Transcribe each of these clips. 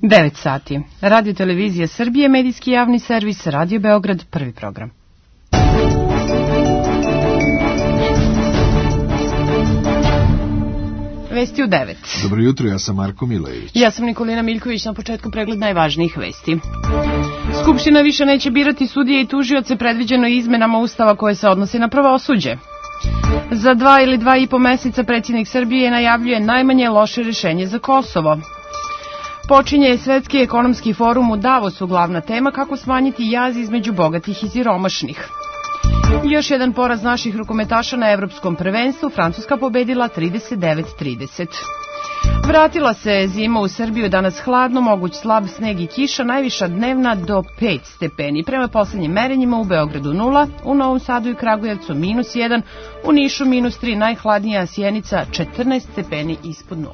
9 sati. Radio Televizija Srbije, medijski javni servis, Radio Beograd, prvi program. Vesti u 9. Dobro jutro, ja sam Marko Milojević. Ja sam Nikolina Miljković, na početku pregled najvažnijih vesti. Skupština više neće birati sudije i tužioce, predviđeno izmenama Ustava koje se odnose na pravosuđe. Za 2 ili 2,5 meseca predsjednik Srbije najavljuje najmanje loše rješenje za Kosovo. Počinje Svetski ekonomski forum u Davosu, glavna tema kako smanjiti jaz između bogatih i siromašnih. Još jedan poraz naših rukometaša na evropskom prvenstvu, Francuska pobedila 39-30. Vratila se zima u Srbiju, danas hladno, moguć slab sneg i kiša, najviša dnevna do 5 stepeni. Prema posljednjim merenjima u Beogradu 0, u Novom Sadu i Kragujevcu -1, u Nišu -3, najhladnija Sjenica 14 stepeni ispod 0.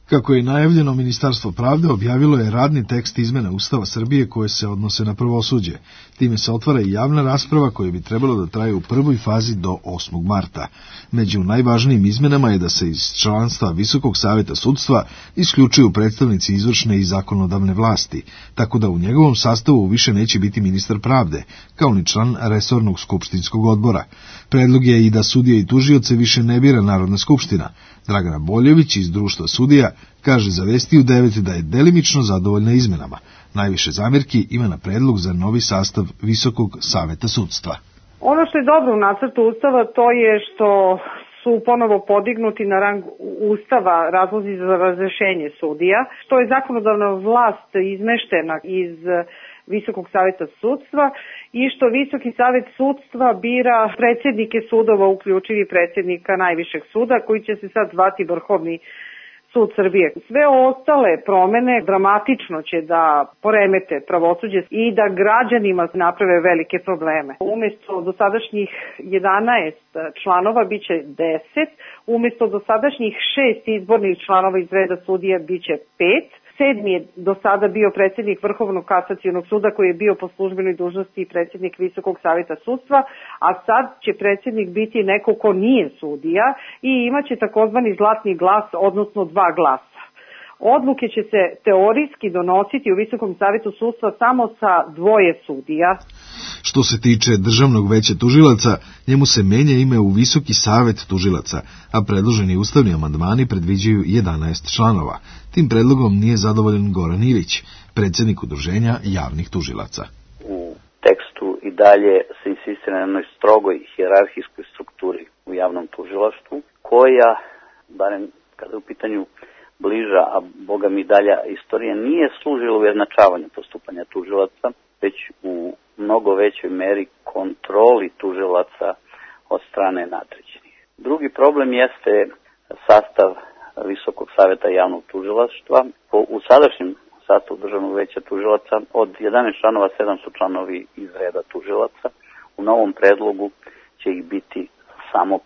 Kako je najavljeno, Ministarstvo pravde objavilo je radni tekst izmena Ustava Srbije koje se odnose na pravosuđe. Time se otvara i javna rasprava koja bi trebalo da traje u prvoj fazi do 8. marta. Među najvažnijim izmenama je da se iz članstva Visokog saveta sudstva isključuju predstavnici izvršne i zakonodavne vlasti, tako da u njegovom sastavu više neće biti ministar pravde, kao ni član resornog skupštinskog odbora. Predlog je i da sudije i tužioce više ne bira Narodna skupština. Dragana Boljević iz Društva sudija kaže za Vesti u 9 da je delimično zadovoljna izmenama. Najviše zamjerki ima na predlog za novi sastav Visokog saveta sudstva. Ono što je dobro u nacrtu Ustava to je što su ponovo podignuti na rang Ustava razlozi za razrešenje sudija, što je zakonodavna vlast izmeštena iz Visokog saveta sudstva i što Visoki savet sudstva bira predsjednike sudova, uključivi predsjednika najvišeg suda, koji će se sad zvati Vrhovni sud Srbije. Sve ostale promene dramatično će da poremete pravosuđe i da građanima naprave velike probleme. Umjesto dosadašnjih 11 članova biće 10, umjesto dosadašnjih 6 izbornih članova iz reda sudija biće 5. 7. je do sada bio predsjednik Vrhovnog kasacionog suda koji je bio po službenoj dužnosti i predsjednik Visokog saveta sudstva, a sad će predsjednik biti neko ko nije sudija i imaće takozvani zlatni glas, odnosno 2 glasa. Odluke će se teorijski donositi u Visokom savetu sudstva samo sa 2 sudija. Što se tiče Državnog veća tužilaca, njemu se menja ime u Visoki savet tužilaca, a predloženi ustavni amandmani predviđaju 11 članova. Tim predlogom nije zadovoljan Goran Ilić, predsjednik Udruženja javnih tužilaca. U tekstu i dalje se insistira na jednoj strogoj hijerarhijskoj strukturi u javnom tužilaštvu, koja, barem kada je u pitanju bliža, a boga mi dalja istorija, nije služila ujednačavanju postupanja tužilaca, već u mnogo većoj meri kontroli tužilaca od strane nadređenih. Drugi problem jeste sastav Visokog saveta javnog tužilaštva. U sadašnjem sastavu Državnog veća tužilaca od 11 članova 7 su članovi iz reda tužilaca. U novom predlogu će ih biti samo 5.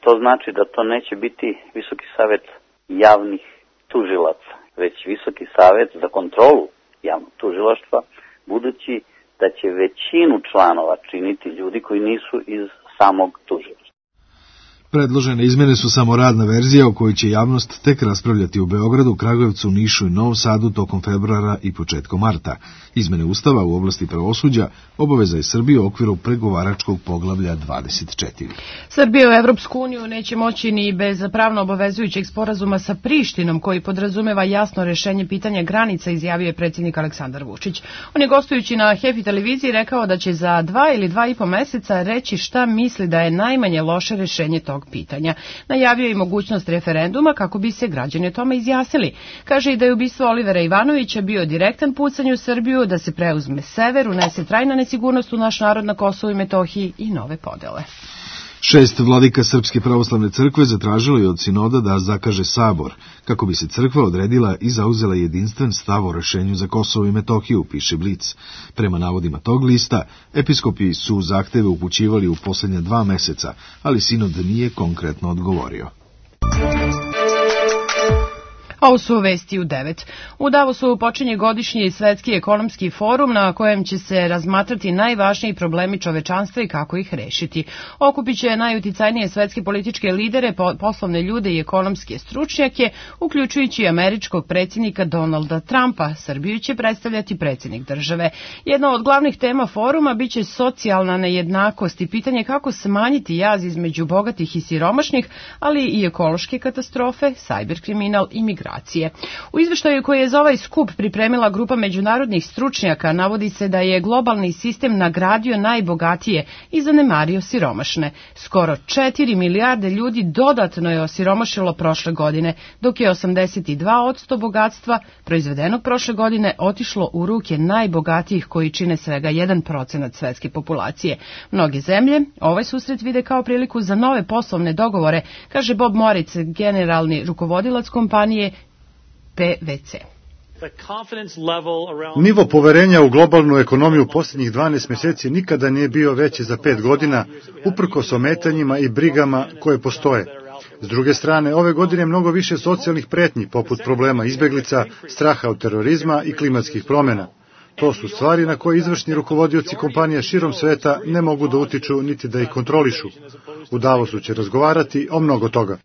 To znači da to neće biti Visoki savet javnih tužilaca, već Visoki savet za kontrolu javnog tužilaštva, budući da će većinu članova činiti ljudi koji nisu iz samog tužilaštva. Predložene izmjene su samo radna verzija o kojoj će javnost tek raspravljati u Beogradu, Kragujevcu, Nišu i Novom Sadu tokom februara i početkom marta. Izmjene Ustava u oblasti pravosuđa obaveza je Srbije u okviru pregovaračkog poglavlja 24. Srbija u Evropsku uniju neće moći ni bez pravno obavezujućeg sporazuma sa Prištinom, koji podrazumeva jasno rješenje pitanja granica, izjavio je predsjednik Aleksandar Vučić. On je gostujući na Happy televiziji rekao da će za 2 ili 2,5 meseca reći šta misli da je najmanje loše rješenje tog pitanja. Najavio je i mogućnost referenduma kako bi se građani o tome izjasnili. Kaže i da je ubistvo Olivera Ivanovića bio direktan pucanj u Srbiju, da se preuzme sever, unese trajna nesigurnost u naš narod na Kosovu i Metohiji i nove podele. 6 vladika Srpske pravoslavne crkve zatražilo je od sinoda da zakaže sabor, kako bi se crkva odredila i zauzela jedinstven stav o rešenju za Kosovo i Metohiju, piše Blic. Prema navodima tog lista, episkopi su zahteve upućivali u posljednja 2 meseca, ali sinod nije konkretno odgovorio. Ovo su vesti u 9. U Davosu počinje godišnji svetski ekonomski forum na kojem će se razmatrati najvažniji problemi čovečanstva i kako ih rešiti. Okupit će najuticajnije svetske političke lidere, poslovne ljude i ekonomske stručnjake, uključujući i američkog predsjednika Donalda Trumpa. Srbiju će predstavljati predsjednik države. Jedna od glavnih tema foruma biće socijalna nejednakost i pitanje kako smanjiti jaz između bogatih i siromašnih, ali i ekološke katastrofe, sajber kriminal i migracije. U izveštaju koji je za ovaj skup pripremila grupa međunarodnih stručnjaka navodi se da je globalni sistem nagradio najbogatije i zanemario siromašne. Skoro 4 milijarde ljudi dodatno je osiromašilo prošle godine, dok je 82% bogatstva proizvedenog prošle godine otišlo u ruke najbogatijih koji čine svega 1% svetske populacije. Mnoge zemlje ovaj susret vide kao priliku za nove poslovne dogovore, kaže Bob Moritz, generalni rukovodilac kompanije PwC. Nivo poverenja u globalnu ekonomiju posljednjih 12 mjeseci nikada nije bio veći za 5 godina, uprkos ometanjima i brigama koje postoje. S druge strane, ove godine je mnogo više socijalnih pretnji, poput problema izbeglica, straha od terorizma i klimatskih promjena. To su stvari na koje izvršni rukovodioci kompanija širom sveta ne mogu da utiču niti da ih kontrolišu. U Davosu će razgovarati o mnogo toga.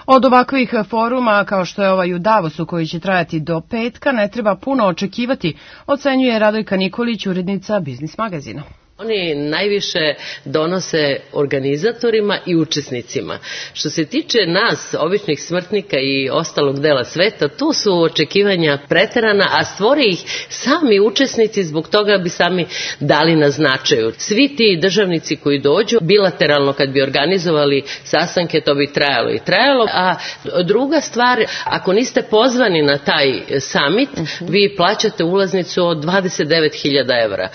Od ovakvih foruma, kao što je ovaj u Davosu koji će trajati do petka, ne treba puno očekivati, ocenjuje Radojka Nikolić, urednica Biznis magazina. Oni najviše donose organizatorima i učesnicima. Što se tiče nas, običnih smrtnika i ostalog dela sveta, tu su očekivanja preterana, a stvore ih sami učesnici, zbog toga bi sami dali na značaju. Svi ti državnici koji dođu, bilateralno kad bi organizovali sastanke, to bi trajalo. A druga stvar, ako niste pozvani na taj summit, vi plaćate ulaznicu od 29.000 evra.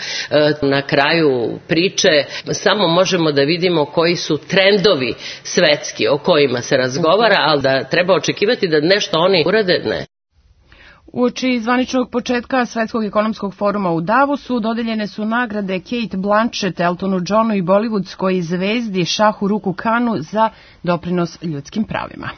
Na kraju priče samo možemo da vidimo koji su trendovi svetski o kojima se razgovara, ali da treba očekivati da nešto oni urade, ne. Uoči zvaničnog početka Svetskog ekonomskog foruma u Davosu dodeljene su nagrade Kate Blanchett, Eltonu Johnu i bollywoodskoj zvezdi Šahu Ruku Khanu za doprinos ljudskim pravima.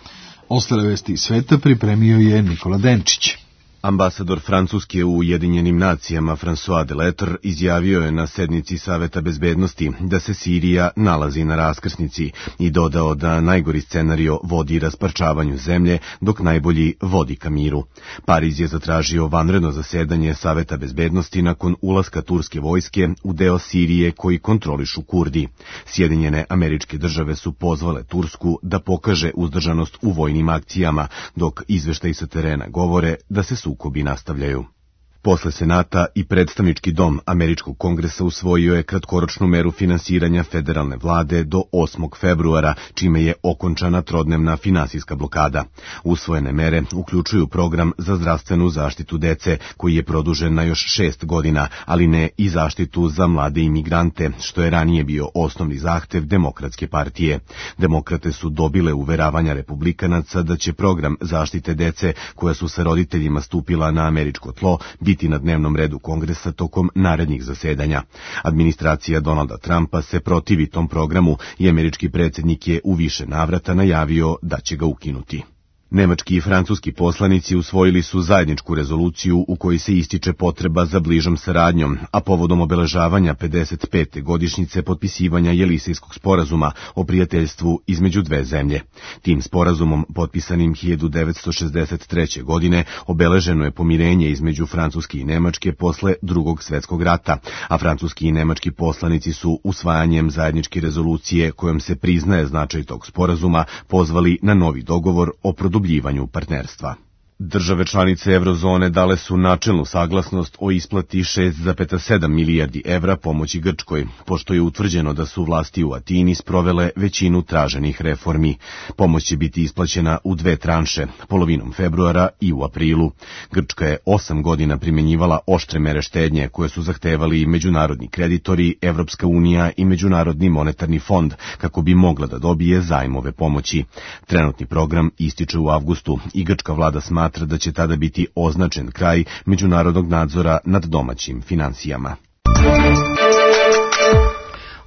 Ostale vesti iz sveta pripremio je Nikola Denčić. Ambasador Francuske u Ujedinjenim nacijama François Delattre izjavio je na sednici Saveta bezbednosti da se Sirija nalazi na raskrsnici i dodao da najgori scenario vodi rasparčavanju zemlje, dok najbolji vodi ka miru. Pariz je zatražio vanredno zasedanje Saveta bezbednosti nakon ulaska turske vojske u deo Sirije koji kontrolišu Kurdi. Sjedinjene Američke Države su pozvale Tursku da pokaže uzdržanost u vojnim akcijama, dok izveštaji sa terena govore da se sukobi nastavljaju. Posle Senata i predstavnički dom Američkog kongresa usvojio je kratkoročnu meru finansiranja federalne vlade do 8. februara, čime je okončana trodnevna finansijska blokada. Usvojene mere uključuju program za zdravstvenu zaštitu dece, koji je produžen na još 6 godina, ali ne i zaštitu za mlade imigrante, što je ranije bio osnovni zahtev Demokratske partije. Demokrate su dobile uveravanja republikanaca da će program zaštite dece, koja su sa roditeljima stupila na američko tlo, biti na dnevnom redu Kongresa tokom narednih zasedanja. Administracija Donalda Trumpa se protivi tom programu i američki predsjednik je u više navrata najavio da će ga ukinuti. Nemački i francuski poslanici usvojili su zajedničku rezoluciju u kojoj se ističe potreba za bližom saradnjom, a povodom obeležavanja 55. godišnjice potpisivanja Jelisejskog sporazuma o prijateljstvu između dve zemlje. Tim sporazumom, potpisanim 1963. godine, obeleženo je pomirenje između Francuske i Nemačke posle Drugog svjetskog rata, a francuski i nemački poslanici su usvajanjem zajedničke rezolucije kojom se priznaje značaj tog sporazuma pozvali na novi dogovor o produbljivanju partnerstva. Države članice Eurozone dale su načelnu saglasnost o isplati 6,7 milijardi evra pomoći Grčkoj, pošto je utvrđeno da su vlasti u Atini sprovele većinu traženih reformi. Pomoć će biti isplaćena u 2 tranše, polovinom februara i u aprilu. Grčka je 8 godina primjenjivala oštre mere štednje koje su zahtevali i međunarodni kreditori, Evropska unija i Međunarodni monetarni fond, kako bi mogla da dobije zajmove pomoći. Trenutni program ističe u avgustu i grčka vlada smatra da će tada biti označen kraj međunarodnog nadzora nad domaćim finansijama.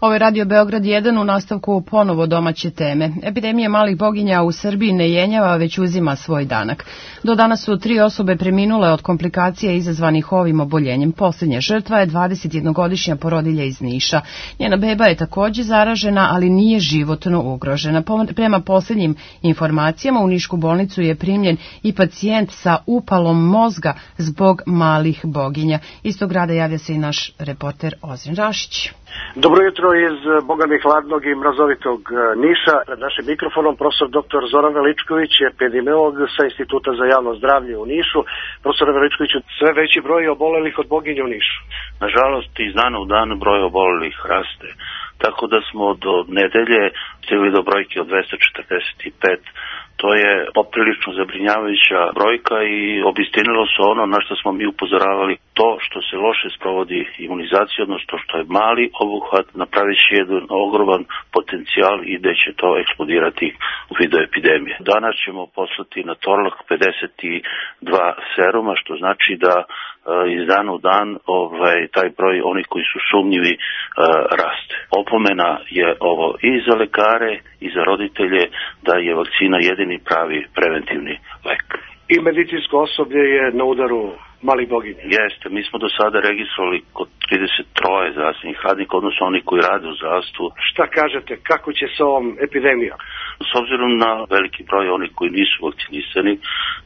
Ovo je Radio Beograd 1 u nastavku ponovo domaće teme. Epidemija malih boginja u Srbiji ne jenjava, već uzima svoj danak. Do danas su 3 osobe preminule od komplikacija izazvanih ovim oboljenjem. Posljednja žrtva je 21-godišnja porodilja iz Niša. Njena beba je također zaražena, ali nije životno ugrožena. Prema posljednjim informacijama u Nišku bolnicu je primljen i pacijent sa upalom mozga zbog malih boginja. Iz tog grada javlja se i naš reporter Ozren Rašić. Dobro jutro iz bogami hladnog i mrazovitog Niša. Pred našim mikrofonom profesor dr. Zoran Veličković, epidemiolog sa Instituta za javno zdravlje u Nišu. Profesor Veličković, sve veći broj obolelih od boginja u Nišu. Nažalost, iz dana u dan broj obolelih raste. Tako da smo do nedelje stigli do brojke od 245. To je poprilično zabrinjavajuća brojka i obistinilo se ono na što smo mi upozoravali. To što se loše sprovodi imunizacija, odnosno što je mali obuhvat, napravit će jedan ogroman potencijal i da će to eksplodirati u vidu epidemije. Danas ćemo poslati na Torlak 52 seruma, što znači da iz dana u dan taj broj onih koji su sumnjivi raste. Opomena je ovo i za lekare i za roditelje da je vakcina jedini pravi preventivni lek. I medicinsko osoblje je na udaru malih boginja. Jeste, mi smo do sada registrovali kod 33 zdravstvenih radnika, odnosno oni koji rade u zdravstvu. Šta kažete, kako će se ovom epidemijom? S obzirom na veliki broj onih koji nisu vakcinisani,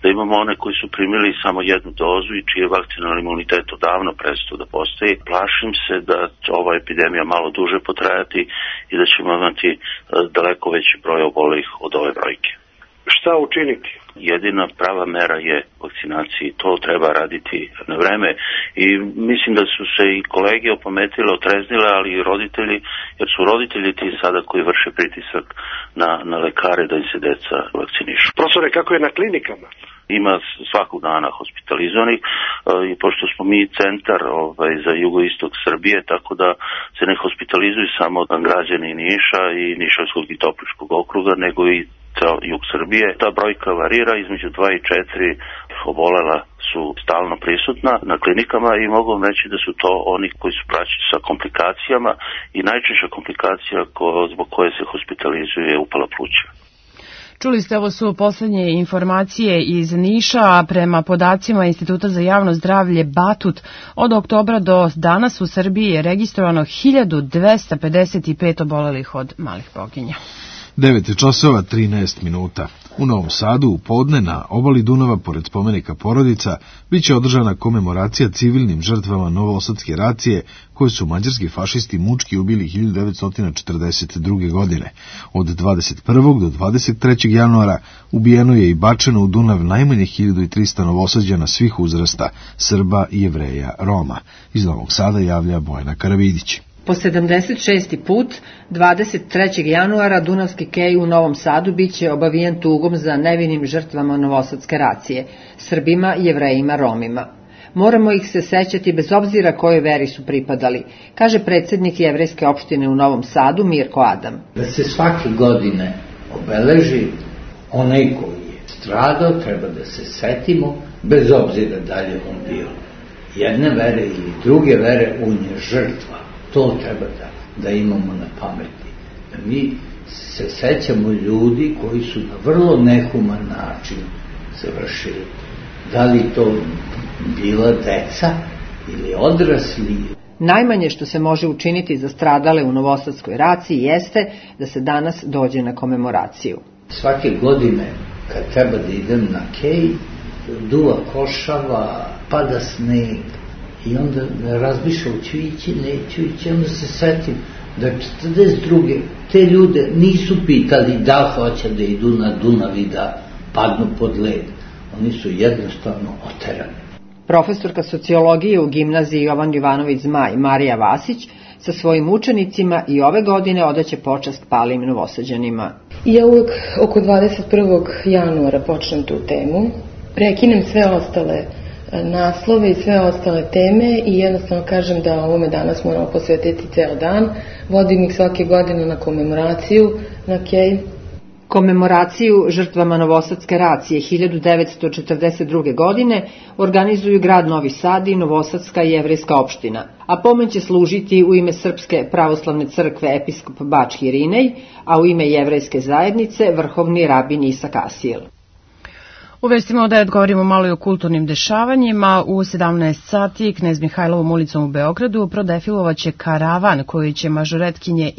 da imamo one koji su primili samo jednu dozu i čiji je vakcinalni imunitet odavno prestao da postoji, plašim se da će ova epidemija malo duže potrajati i da ćemo imati daleko veći broj obolelih od ove brojke. Šta učiniti? Jedina prava mera je vakcinaciji. To treba raditi na vreme i mislim da su se i kolege opametile, otreznile, ali i roditelji, jer su roditelji ti sada koji vrše pritisak na lekare da im se deca vakcinišu. Profesore, kako je na klinikama? Ima svakog dana hospitalizovanih i pošto smo mi centar za jugoistok Srbije, tako da se ne hospitalizuju samo građani Niša i Nišavskog i Topličkog okruga, nego i ceo jug Srbije. Ta brojka varira između 2 i 4 obolela su stalno prisutna na klinikama i mogu vam reći da su to oni koji su praćeni sa komplikacijama i najčešća komplikacija zbog koje se hospitalizuje je upala pluća. Čuli ste, ovo su posljednje informacije iz Niša, a prema podacima Instituta za javno zdravlje Batut, od oktobra do danas u Srbiji je registrovano 1255 obolelih od malih boginja. 9 časova 13 minuta. U Novom Sadu u podne na obali Dunava, pored spomenika Porodica, biće održana komemoracija civilnim žrtvama Novosadske racije, koje su mađarski fašisti mučki ubili 1942. godine. Od 21. do 23. januara ubijeno je i bačeno u Dunav najmanje 1300 Novosađana svih uzrasta, Srba, Jevreja, Roma. Iz Novog Sada javlja Bojana Karavidić. Po 76. put, 23. januara, Dunavski kej u Novom Sadu biće obavijen tugom za nevinim žrtvama Novosadske racije, Srbima, Jevrejima, Romima. Moramo ih se sećati bez obzira kojoj veri su pripadali, kaže predsjednik Jevrejske opštine u Novom Sadu, Mirko Adam. Da se svake godine obeleži onaj koji je stradao, treba da se setimo, bez obzira da li on bio jedne vere ili druge vere, on je žrtva. To treba da imamo na pameti. Da mi se sećamo ljudi koji su na vrlo nehuman način završili. Da li to bila deca ili odrasli? Najmanje što se može učiniti za stradale u Novosadskoj raciji jeste da se danas dođe na komemoraciju. Svake godine kad treba da idem na kej, duva košava, pada sneg, i onda razmišljam, ću ići, neću ići, onda se setim da 42. te ljude nisu pitali da hoće da idu na Dunav i da padnu pod led. Oni su jednostavno oterani. Profesorka sociologije u gimnaziji Jovan Jovanović Zmaj, Marija Vasić, sa svojim učenicima i ove godine odaće počast palim Novosađanima. Ja uvek oko 21. januara počnem tu temu, prekinem sve ostale naslove i sve ostale teme i jednostavno kažem da ovome danas moramo posvetiti ceo dan. Vodim ih svake godine na komemoraciju na kej. Komemoraciju žrtvama Novosadske racije 1942. godine organizuju grad Novi Sad i Novosadska jevrejska opština, a pomen će služiti u ime Srpske pravoslavne crkve episkop Bački Irinej, a u ime jevrejske zajednice vrhovni rabin Isak Asijel. U vestima od 9 govorimo malo i o kulturnim dešavanjima. U 17 sati Knez Mihajlovom ulicom u Beogradu prodefilovaće karavan kojim će mažoretkinje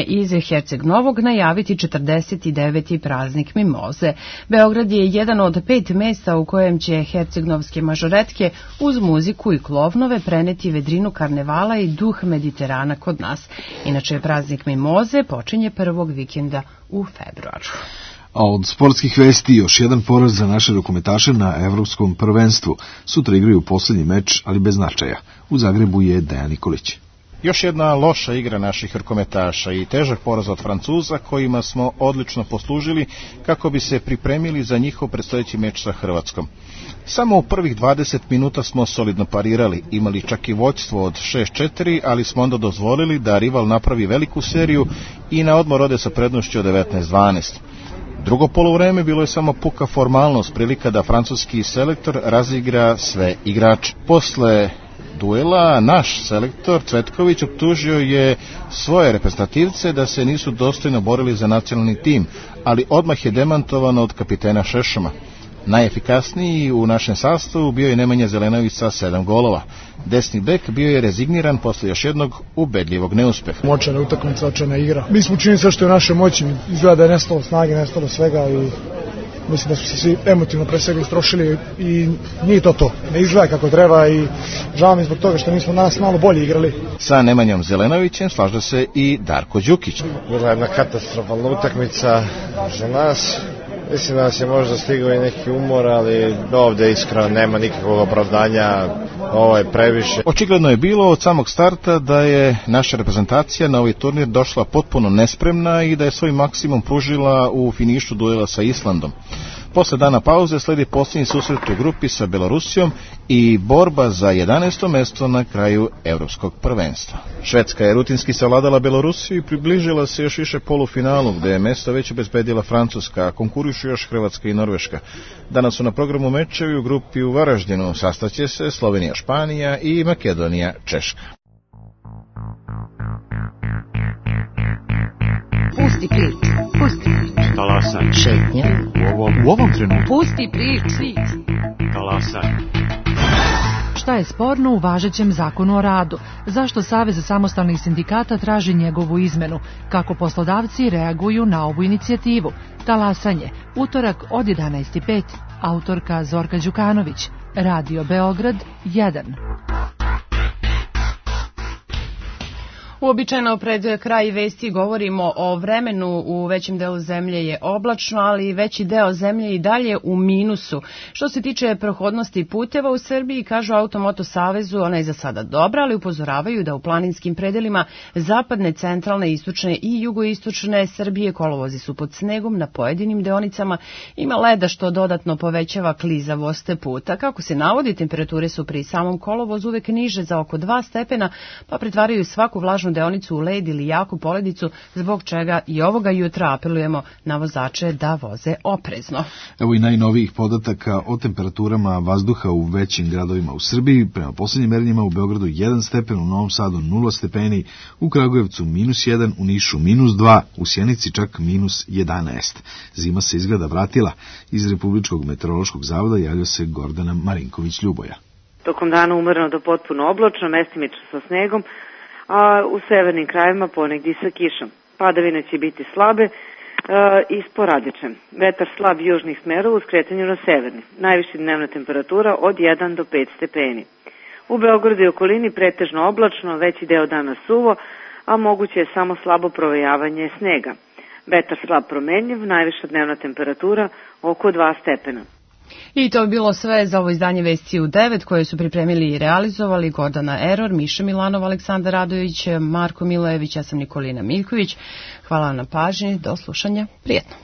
iz Herceg Novog najaviti 49. praznik Mimoze. Beograd je jedan od 5 mesta u kojem će hercegnovske mažoretke uz muziku i klovnove preneti vedrinu karnevala i duh Mediterana kod nas. Inače, praznik Mimoze počinje prvog vikenda u februaru. A od sportskih vesti još jedan poraz za naše rukometaše na evropskom prvenstvu. Sutra igraju poslednji meč, ali bez značaja. U Zagrebu je Dejan Nikolić. Još jedna loša igra naših rukometaša i težak poraz od Francuza kojima smo odlično poslužili kako bi se pripremili za njihov predstojeći meč sa Hrvatskom. Samo u prvih 20 minuta smo solidno parirali, imali čak i vođstvo od 6-4, ali smo onda dozvolili da rival napravi veliku seriju i na odmor ode sa prednošću od 19-12. Drugo poluvreme bilo je samo puka formalnost, prilika da francuski selektor razigra sve igrače. Posle duela naš selektor Cvetković optužio je svoje reprezentativce da se nisu dostojno borili za nacionalni tim, ali odmah je demantovano od kapitena Šešama. Najefikasniji u našem sastavu bio je Nemanja Zelenović sa 7 golova. Desni bek bio je rezigniran posle još jednog ubedljivog neuspeha. Moćana utakmica, očajna igra. Mi smo učinili sve što je u našoj moći. Izgleda da je nestalo snage, nestalo svega i mislim da su se svi emotivno pre svega istrošili i nije to. Ne izgleda kako treba i žao mi zbog toga što nismo danas malo bolje igrali. Sa Nemanjom Zelenovićem slaža se i Darko Đukić. Bila jedna katastrofalna utakmica za nas. Mislim da nas je možda stigao i neki umor, ali ovde iskreno nema nikakvog opravdanja, ovo je previše. Očigledno je bilo od samog starta da je naša reprezentacija na ovaj turnir došla potpuno nespremna i da je svoj maksimum pružila u finišu duela sa Islandom. Posle dana pauze sledi posljednji susret u grupi sa Belorusijom i borba za 11. mesto na kraju evropskog prvenstva. Švedska je rutinski savladala Belorusiju i približila se još više polufinalu, gde je mesto već obezbedila Francuska, a konkurišu još Hrvatska i Norveška. Danas su na programu mečevi u grupi u Varaždinu, sastaće se Slovenija, Španija i Makedonija, Češka. Pusti priču, pusti priču. Talasaj. Šetnja. U ovom trenutku. Pusti priču. Talasaj. Šta je sporno u važećem zakonu o radu? Zašto Savez samostalnih sindikata traži njegovu izmenu? Kako poslodavci reaguju na ovu inicijativu? Talasanje. Utorak od 11:05. Autorka Zorka Đukanović. Radio Beograd 1. Uobičajeno pred kraj vesti govorimo o vremenu. U većem delu zemlje je oblačno, ali veći deo zemlje i dalje u minusu. Što se tiče prohodnosti puteva u Srbiji, kažu Automoto Savezu, ona je za sada dobra, ali upozoravaju da u planinskim predelima zapadne, centralne, istočne i jugoistočne Srbije kolovozi su pod snegom, na pojedinim deonicama ima leda što dodatno povećava klizavost puta. Kako se navodi, temperature su pri samom kolovozu uvek niže za oko 2 stepena, pa pretvaraju svaku vlažnu deonicu u led ili jaku poledicu, zbog čega i ovoga jutra apelujemo na vozače da voze oprezno. Evo i najnovijih podataka o temperaturama vazduha u većim gradovima u Srbiji. Prema poslednjim merenjima u Beogradu 1 stepen, u Novom Sadu 0 stepeni, u Kragujevcu -1, u Nišu -2, u Sjenici čak -11. Zima se izgleda vratila. Iz Republičkog meteorološkog zavoda javlja se Gordana Marinković-Ljuboja. Tokom dana umereno do potpuno oblačno, mestimično sa snegom, a u severnim krajevima ponegdje sa kišom. Padavine će biti slabe i sporadične. Vetar slab južnih smerova u skretanju na severni. Najviša dnevna temperatura od 1 do 5 stepeni. U Beogradu i okolini pretežno oblačno, veći deo dana suvo, a moguće je samo slabo provejavanje snega. Vetar slab promenljiv, najviša dnevna temperatura oko 2 stepena. I to je bilo sve za ovo izdanje Vesti u 9 koje su pripremili i realizovali Gordana Eror, Miša Milanov, Aleksandar Radović, Marko Milojević, ja sam Nikolina Miljković. Hvala vam na pažnji, do slušanja, prijetno.